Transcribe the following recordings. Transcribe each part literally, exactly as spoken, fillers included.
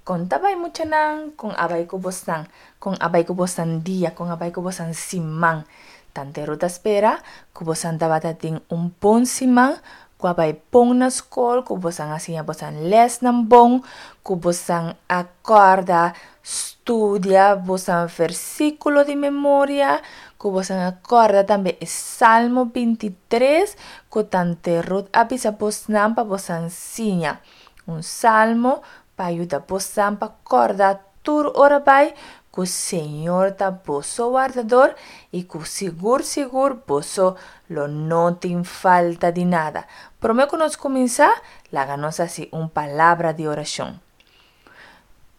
Kon ta bai muchanan, kon a bai ku bosnan, kon a bai ku bosnan dia, kon a bai ku bosnan siman. Tante Ruth ta spera ku bosan tabata tin un bon siman, ku a bai bon na skol, ku bosan a siña bosan lèsnan bon, ku bosan a kòrda studia bosan versíkulo di memoria, ku bosan a kòrda tambe e Salmo bintitres ku Tante Ruth a bisa bosnan pa bosan siña. Un salmo pa yuda bosan pa kòrda tur ora bai ku Señor ta boso wardador i ku sigur sigur boso lo no tin falta di nada. Promé ku nos kuminsá, laga nos hasi un palabra di orashon.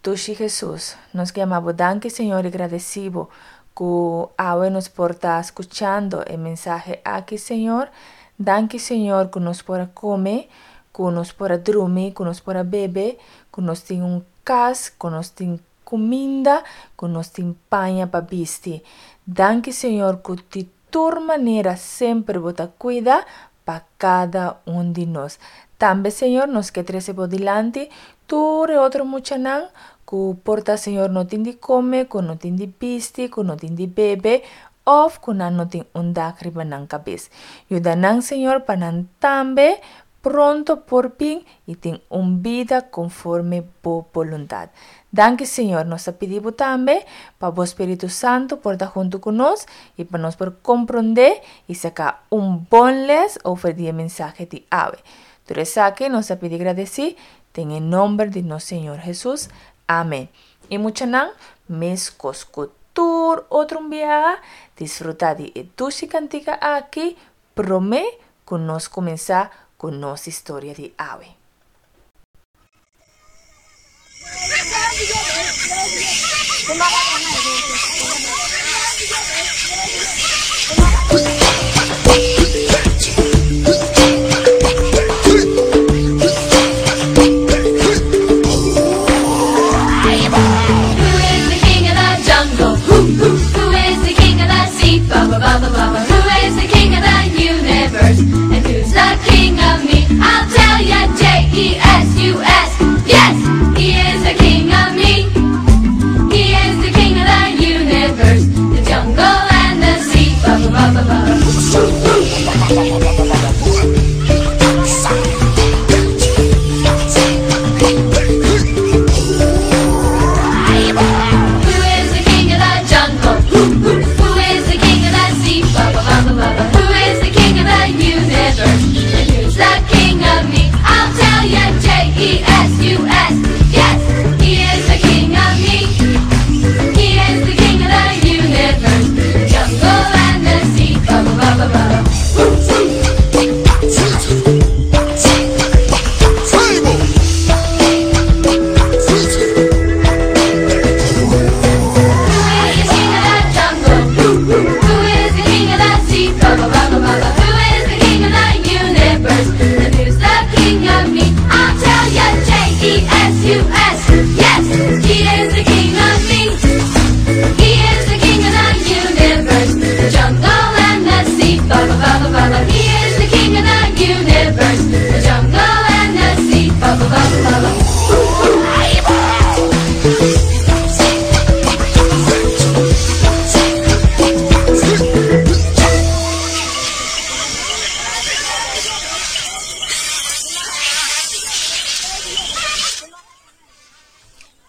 Dushi Hesus, nos ke yama bo danki Señor i gradesí bo ku awe nos por ta skuchando e mensahe aki Señor. Danki Señor ku nos por a kome, ku nos por a drumi, ku nos por a bebe, ku nos tin un kas, ku nos tin kuminda, ku nos tin paña pa bisti. Danki Señor ku di tur manera semper bo ta kuida pa kada un di nos. Tambe Señor nos ke trese bo dilanti tur e otro muchanan ku por ta Señor no tin di kome, ku no tin di bisti, ku no tin di bebe òf ku nan no tin un dak riba nan kabes. Yuda nan Señor pa nan tambe pronto por bin i tin un bida konforme bo boluntat. Danki Señor, nos ta pidi bo tambe pa bo Spiritu Santu por ta huntu ku nos i pa nos por komprondé i saka un bon les over di e mensahe di awe. Tur esaki nos ta pidi gradesí den e nomber di nos Señor Hesus. Amen. I muchanan, meskos ku tur otro un biaha, disfrutá di e dushi kantika aki promé ku nos kuminsá ku nos historia di awe. Who is the king of the jungle? Who, who, who is the king of the sea? Ba ba ba ba ba ba. Who is the king of the universe? And who's the king of me? I'll tell ya, J E S U S. Yes, he is the king of me. He is the king of the universe, the jungle and the sea. Ba ba ba ba ba. Who is the king of the jungle? Who, who, who is the king of the sea? Ba ba ba ba ba ba. Who is the king of the universe? And who's the king of me? I'll tell ya, J E S U S. Yes, he is the king of me. He is the king of the universe, the jungle and the sea. Ba ba ba ba ba. Who is the king of the jungle? Who, who, who is the king of the sea? Ba ba ba ba ba ba. Who is the king of the universe? And who's the king of me? I'll tell ya, J E S U S. Yes, he is the king of me. He is the king of the universe, the jungle and the sea. Ba ba ba ba ba ba. He is the king of the universe, the jungle and the sea. Ba ba ba ba ba ba.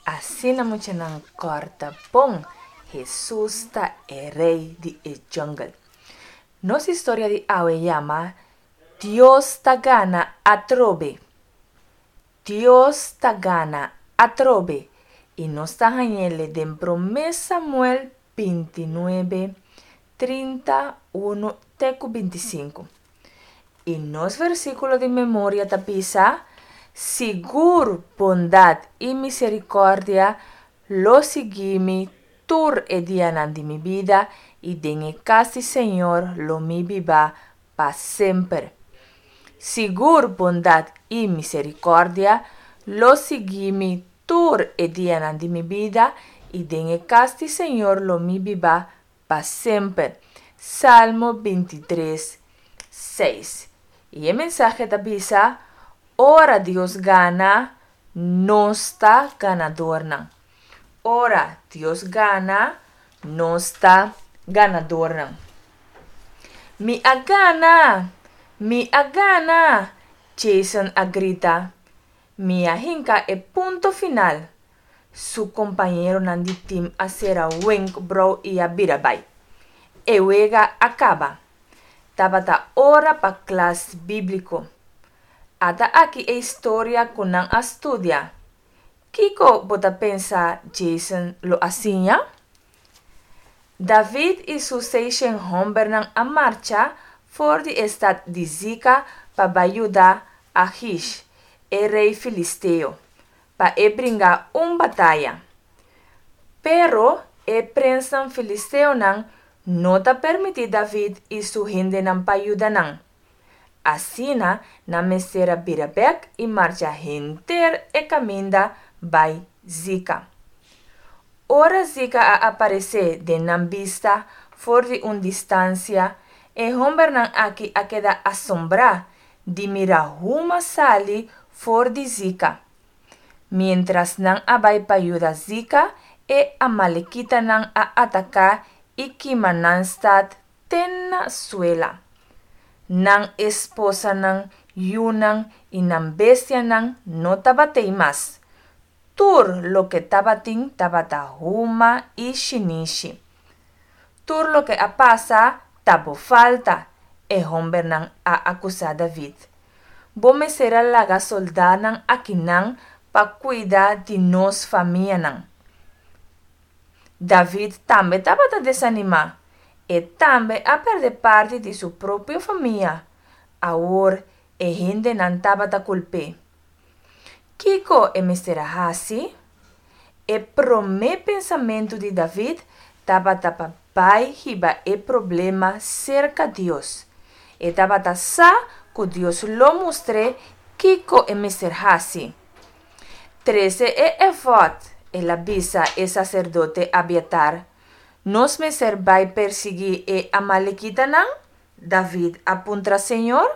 Asina muchanan kòrda bon, Hesus ta e rei di e jungle. Nos historia di awe yama Dios ta gana atrobe. Dios ta gana atrobe. I nos ta hañ'é den Promé Samuel bintinuebe, trinta unu te ku bintisinku. I nos versíkulo di memoria ta bisa, Sigur bondat i miserikòrdia lo sigui mi tur e dianan di mi bida i den e kas di Señor lo mi biba pa semper. Sigur bondat i miserikòrdia lo sigui mi tur e dianan di mi bida i den e kas di Señor lo mi biba pa semper. Salmo bintitres, seis. I e mensahe ta bisa, Ora Dios gana, Nos ta ganadornan. Ora Dios gana, nos ta ganadornan. Mi a gana! Mi a gana! Jason a grita. Mi a hinka e punto final. Su kompañeronan di tim a sera wenkbrou i a bira bai. E wega a kaba. Tabata ora pa klas bíbliko. Ata aki e historia ku nan a studia. Kiko bo ta pensa Jason lo a siña? David i su seishent hòmbernan a marcha for di e stat di Zika pa bai yuda Achish, e rei filisteo, pa e bringa un bataya. Pero e prensnan filisteonan no ta permití David i su hendenan pa yuda nan. Asina nan mester a bira bèk i marcha henter e kaminda bai Zika. Ora Zika a aparesé den nan bista for di un distansia, e hòmbernan aki a keda asombrá di mira huma sali for di Zika. Miéntras nan a bai pa yuda Zika, e amalekitanan a ataká i kima nan stat te na suela. Nan esposanan, yunan i nan bestianan no tabat'ei mas. Tur loke tabatin tabata huma i shinishi. Tur loke a pasa ta bo falta, e hòmbernan a akusá David. Bo mester a laga sòldánan akinan pa kuida di nos famianan. David tambe tabata desanimá. E tambe a pèrdè parti di su propio famia. Awor e hendenan tabata kulp'é. Kiko e mester a hasi? E promé pensamentu di David tabata pa bai hiba e problema serka Dios. E tabata sa ku Dios lo mustr'é kiko e mester hasi. Trese e efòd, el a bisa e saserdote Abiatar. Nos mester bai persiguí e amalekitanan? David a puntra Señor.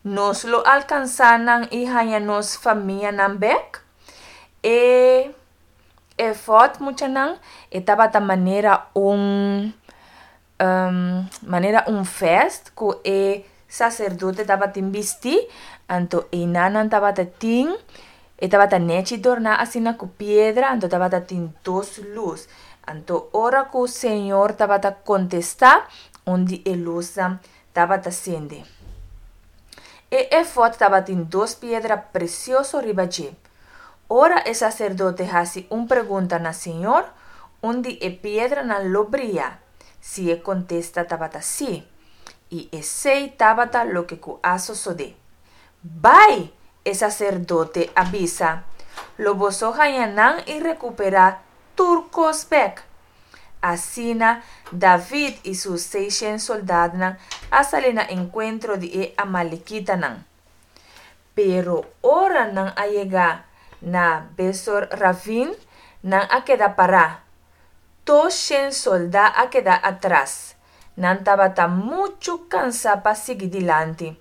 Nos lo alkansá nan i haña nos famianan bèk? E efòd, muchanan, e tabata manera un manera un vèst ku e saserdote tabatin bistí, anto einan nan tabata tin, e tabata nèchi dorná asina ku piedra, anto tabata tin dos lus. Anto ora ku Señor tabata kontestá, un di e lusnan tabata sende. E efòd tabatin dos piedra presioso riba dje. Ora e saserdote hasi un pregunta na Señor, un di e piedranan lo bria, si e kontesta tabata sí. I esei tabata loke ku a sosodé. Bai! e saserdote a bisa. Lo boso haña nan i rekuperá tur kos bèk. Asina, David i su seishent sòldatnan a sali na enkuentro di e amalekitanan. Pero ora nan a yega na Besor Ravin, nan a keda pará. Dos shen sòldá a keda atras. Nan tabata muchu kansá pa sigui dilanti.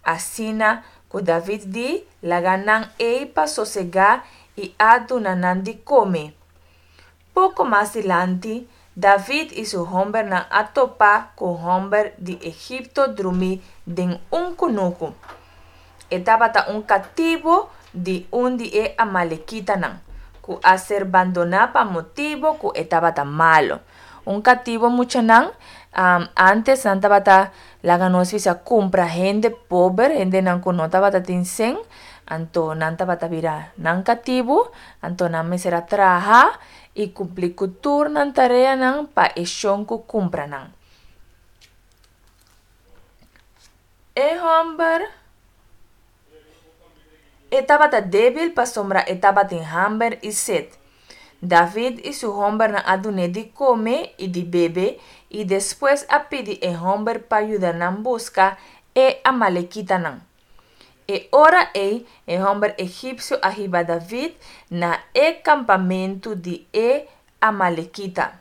Asina ku David di laga nan ei pa sosegá i a duna nan di kome. Poko mas dilanti, David i su hòmbernan a topa ku hòmber di Egipto drumí den un kunuku. E tabata un katibu di un di e amalekitanan, ku a ser bandoná pa motibu ku e tabata malu. Un katibu muchanan, ántes nan tabata laga nos bisa kumpra hende pober, hendenan ku no tabata tin sèn, anto nan tabata bira nan katibu, anto nan mester a traha i kumpli ku tur nan tareanan pa e shon ku kumpra nan. E hòmber e tabata débil pasobra e tabatin hamber i set. David i su hòmbernan a dun'é di kome i di bebe i despues a pidi e hòmber pa yuda nan buska e amalekitanan. E ora ei e hòmber egipsio a hiba David na e kampamentu di e amalekita.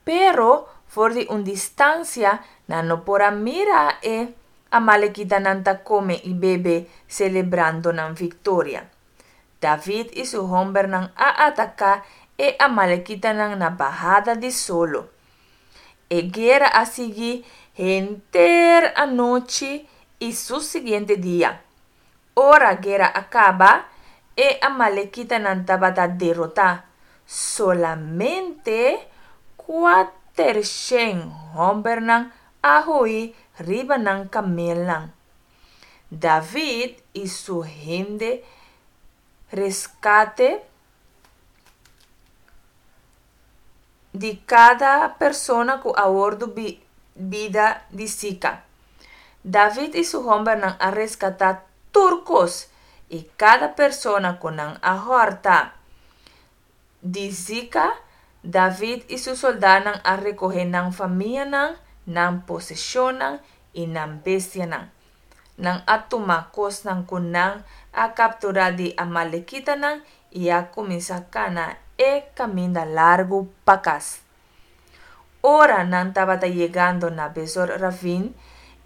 Pero for di un distansia nan no por a mira e amalekitanan ta kome i bebe selebrando nan viktoria. David i su hòmbernan a ataká e amalekitanan na bahada di solo. E guera a sigui henter anochi i su siguiente dia. Ora guera a kaba, e amalekitanan tabata derotá. Solamente kuatershen hòmbernan a hui riba nan kamelnan. David i su hende reskate di kada persona ku a wòrdu bida di sika. David i su hòmbernan a reskatá tur kos, i kada persona ku nan a hòrta di sika, David i su sòldánan a rekohé nan famianan, nan poseshonnan i nan bestianan. Nan a tuma kosnan ku nan a kapturá di amalekitanan i a kuminsá kana e kaminda largu pa kas. Ora nan tabata yegando na Besor Ravin,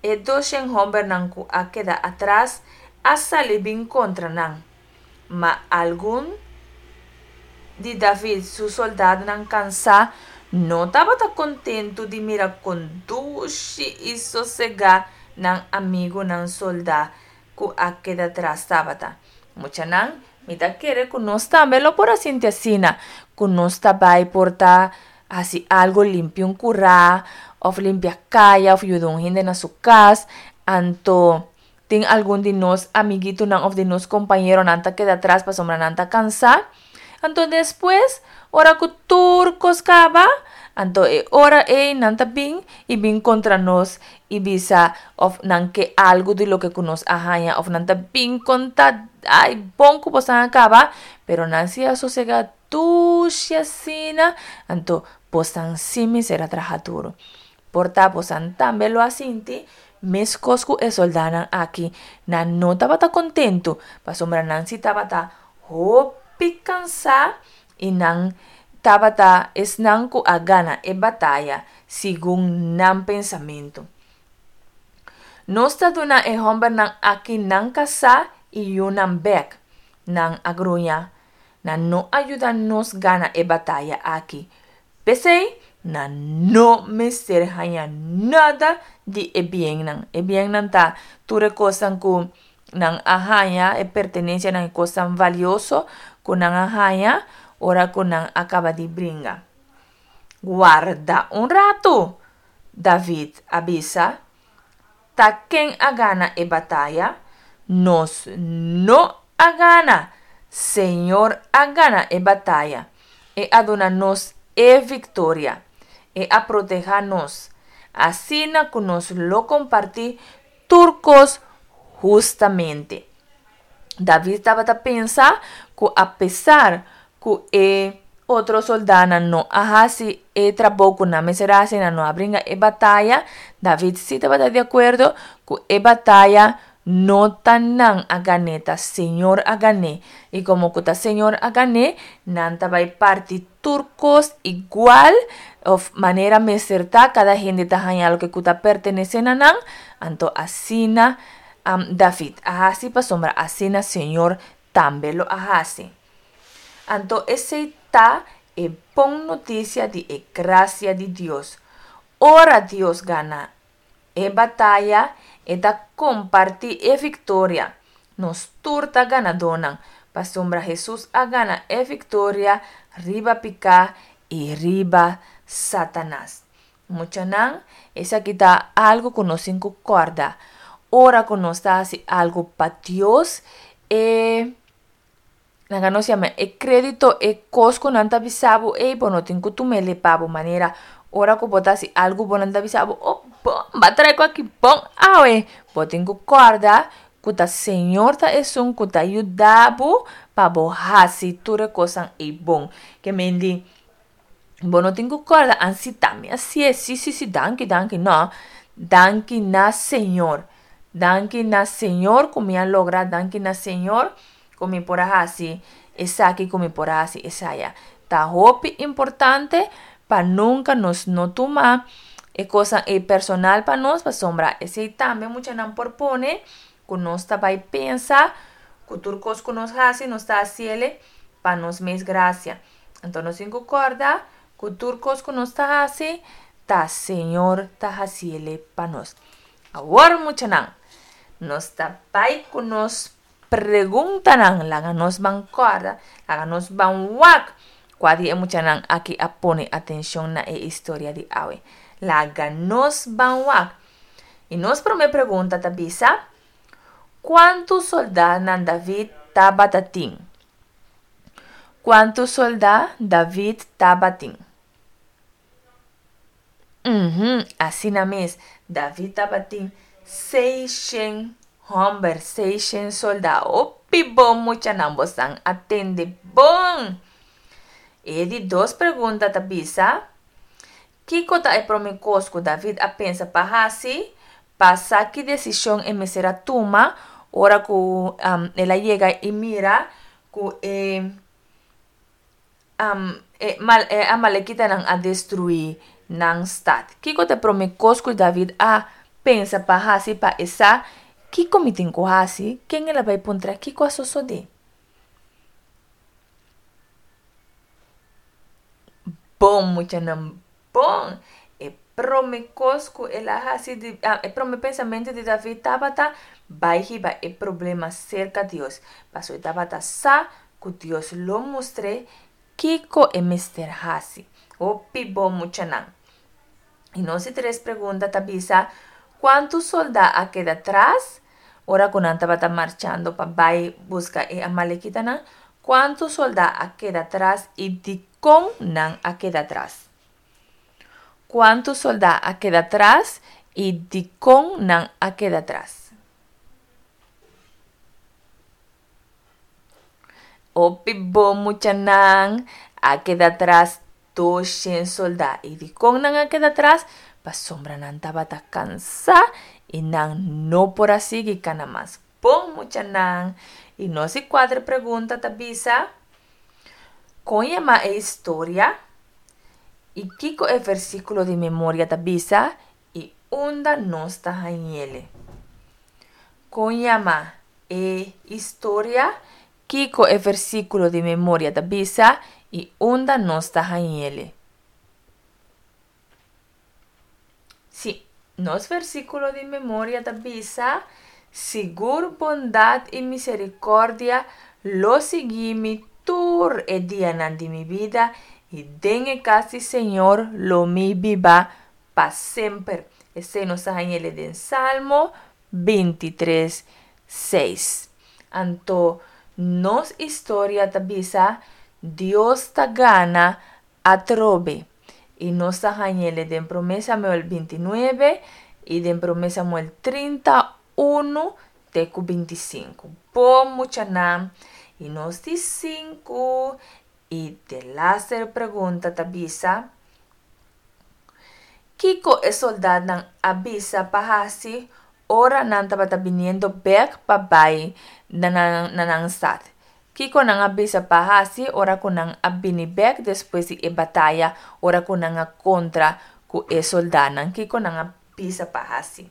e doshen hòmbernan ku a keda atras a sali bin kontra nan. Ma algun di David su sòldánan kansá no tabata kontentu di mira kon dushi i sosegá nan amigunan sòldá ku a keda atras tabata. Muchanan, mi ta kere ku nos tambe lo por a sinti asina, ku nos ta bai por ta hasi algu, limpia un kurá òf limpia kaya òf yuda un hende na su kas, anto tin algun di nos amiguitonan òf di nos kompañeronan ta keda atras pasobra nan ta kansá. Anto despues, ora ku tur kos kaba, anto e ora ei nan ta bin i bin kontra nos i bisa òf nan ke algu di loke ku nos a haña òf nan ta bin konta, Ai, bon ku boso a kaba, pero nan si a sosegá dushi asina, anto bosan sí mester a traha duru. Por ta bosan tambe lo a sinti meskos ku e sòldánan aki. Nan no tabata kontentu, pasobra nan sí tabata hopi kansá i nan tabata esnan ku a gana e bataya segun nan pensamentu. Nos ta duna e hòmbernan aki nan kasá i yunan bèk. Nan a gruña. Nan no a yuda nos gana e bataya aki. P'esei, nan no mester haña nada di e biennan. E biennan ta tur e kosnan ku nan a haña, e pertenensianan, e kosnan valioso ku nan a haña ora ku nan a kaba di bringa. Warda un ratu! David a bisa. Ta ken a gana e bataya? Nos no a gana! Señor a gana e bataya. E a duna nos e viktoria. E a protehá nos. Asina ku nos lo kompartí tur kos hustamente. David tabata pensa ku apesar ku e otro soldánan no a hasi e trabou ku nan mester a hasi, nan no a bringa e bataya, David sí tabata di akuerdo ku e bataya no ta nan a gan'é, ta Señor a gan'é. I komo ku ta Señor a gan'é, nan ta bai parti tur kos igual òf manera mester ta, kada hende ta haña loke ku ta pertenesé na nan. Anto asina David a hasi, pasobra asina Señor tambe lo a hasi. Anto esei ta e bon notisia di e grasia di Dios. Ora Dios gana e bataya, e ta kompartí e viktoria. Nos tur ta ganadónan, pasobra Hesus a gana e viktoria riba piká i riba Satanas. Muchanan, esaki ta algu ku nos tin ku kòrda. Ora ku nos ta hasi algu pa Dios, e laga nos yama e krédito, e kos ku nan ta bisa bo, ey bo no tin ku tum'é pa bo manera. Ora ku bo ta hasi algu bo nan ta bisa bo, oh bon, bo a trae ku aki bon awe. Bo tin ku kòrda ku ta Señor ta esun ku ta yuda bo pa bo hasi tur e kosnan ei bon. Ke men di, bo no tin ku kòrda, ansi ta mi hasié, si si si, danki danki. No, danki na Señor. Danki na Señor ku mi a logra, danki na Señor ku mi por a hasi esaki, ku mi por a hasi esaya. Ta hopi importante pa nunka nos no tuma E kosnan ei personal pa nos, pasobra esei tambe muchanan por pone ku nos ta bai pensa ku tur kos ku nos hasi nos ta hasiele pa nos mes grasia. Anto nos tin ku kòrda ku tur kos ku nos ta hasi ta Señor ta hasiele pa nos. Awor muchanan, nos ta bai ku nos preguntanan. Laga nos ban kòrda, laga nos ban wak kua di e muchanan aki a pone atenshon na e historia di awe. Laga nos ban wak. I nos promé pregunta ta bisa, Kuantu sòldánan David tabata tin? Kuantu sòldá David tabatin? Uhum, asina mes, David tabatin seishen hòmber, seishen sòldá. Hopi bon muchanan, bosan a tende bon! E di dos pregunta ta bisa, Kiko ta e promé kos ku David a pensa pa hasi pa sa ki desishon e mester a tuma ora ku el a yega i mira ku e e amalekitanan a destruí nan stat? Kiko ta e promé kos ku David a pensa pa hasi pa e sa kiko mi tin ku hasi? Ken el a bai puntra kiko a sosodé? Bon muchanan bon! E prome kos ku el a hasi di e prome pensamentu di David tabata bai hiba e problema serka Dios, pasobra e tabata sa ku Dios lo mustr'é kiko e mester hasi. Hopi bon muchanan! I nos di tres pregunta ta bisa, Kuantu soldá a keda tras ora ku nan tabata marchando pa bai buska e amalekitanan? Kuantu soldá a keda tras i dikon nan a keda tras? Kuantu soldá a keda tras i dikon nan a keda tras? Hopi bon muchanan a keda tras doshen soldá. I dikon nan a keda tras? Pasobra nan tabata kansá i nan no por a sigui kana mas. Bon muchanan! I nos di kuater pregunta ta bisa, Kon yama e historia? I kiko e versíkulo di memoria ta bisa i unda nos ta hañ'ele? Kon yama e historia? Kiko e versíkulo di memoria ta bisa i unda nos ta hañ'ele? Sí, nos versíkulo di memoria ta bisa, Sigur bondat i miserikòrdia lo sigui mi tur e dianan di mi bida, i den e kas di Señor lo mi biba pa semper. Esei nos ta hañ'ele den Salmo bintitres, seis. Anto nos historia ta bisa, Dios ta gana atrobe. I nos ta hañ'ele den Promé Samuel binti nuebe i den Promé Samuel trinta unu te ku binti sinku. Bon muchanan, i nos di sinku i delaster pregunta ta bisa, Kiko e soldatnan a bisa pa hasi ora nan tabata biniendo bèk pa bai na nan stat? Kiko nan a bisa pa hasi ora ku nan a bini bèk despues di e bataya ora ku nan a kontra ku e soldatnan? Kiko nan a bisa pa hasi?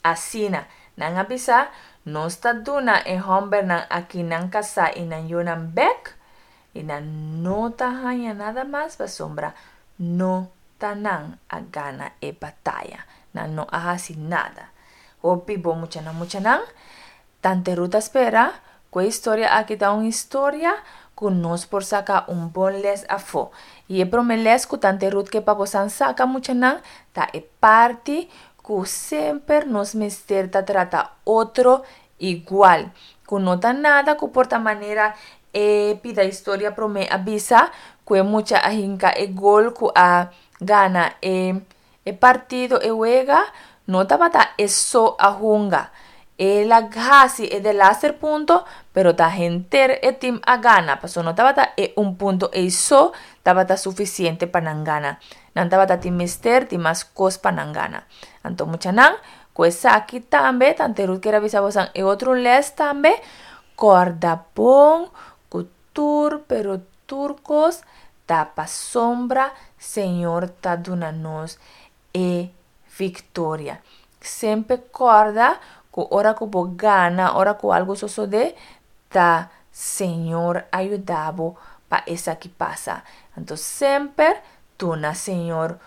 Asina, nan a bisa, Nos ta duna e hòmbernan akí nan kasá i nan yunan bèk, i nan no ta haña nada mas pasobra no ta nan a gana e bataya. Nan no a hasi nada. Hopi bon muchanan, muchanan! Tante Ruth ta spera ku e historia aki ta un historia ku nos por saka un bon lès afó. I e promé lès ku Tante Ruth ke pa bosan saka muchanan ta e parti ku semper nos mester ta trata otro igual. Ku no ta nada ku por ta manera e pida historia promé a bisa ku e mucha a hinka e gol ku a gana e e partido, e wega, no tabata e so a hunga. El a hasi e delaster punto, pero ta henter e tim a gana, pasobra no tabata e un punto ei so tabata sufisiente pa nan gana. Nan tabata tin mester di mas kos pa nan gana. Anto muchanan, Ku esaki tambe Tante Ruth kier a bisa bosan e otro les tambe, kòrda bon ku tur pero tur kos ta pasobra Señor ta duna nos e viktoria. Semper kòrda ku ora ku bo gana, ora ku algu sosodé, ta Señor a yuda bo pa esaki pasa. Anto semper duna Señor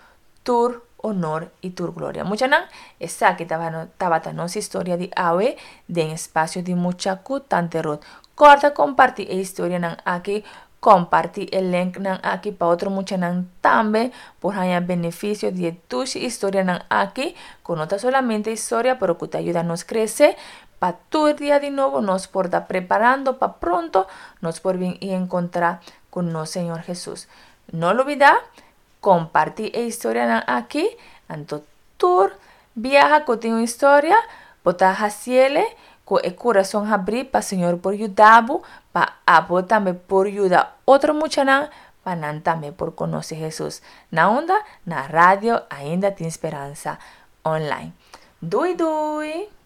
tur honor i tur gloria. Muchanan, esaki tabata nos historia di awe den Espasio di Mucha ku Tante Ruth. Kòrda kompartí e historianan aki, kompartí e linknan aki pa otro muchanan tambe por haña benefisio di e dushi historianan aki, ku no ta solamente historia pero ku ta yuda nos krese pa tur dia di nobo nos por ta preparando pa pronto nos por bin i enkontrá ku nos Señor Hesus. No lubidá kompartí e historianan aki, anto tur biaha ku tin un historia bo ta hasiele ku e kurason habrí pa Señor por yuda bo, pa abo tambe por yuda otro muchanan pa nan tambe por konosé Hesus. Na unda? Na Radio Ainda Tin Speransa Online. Dui dui!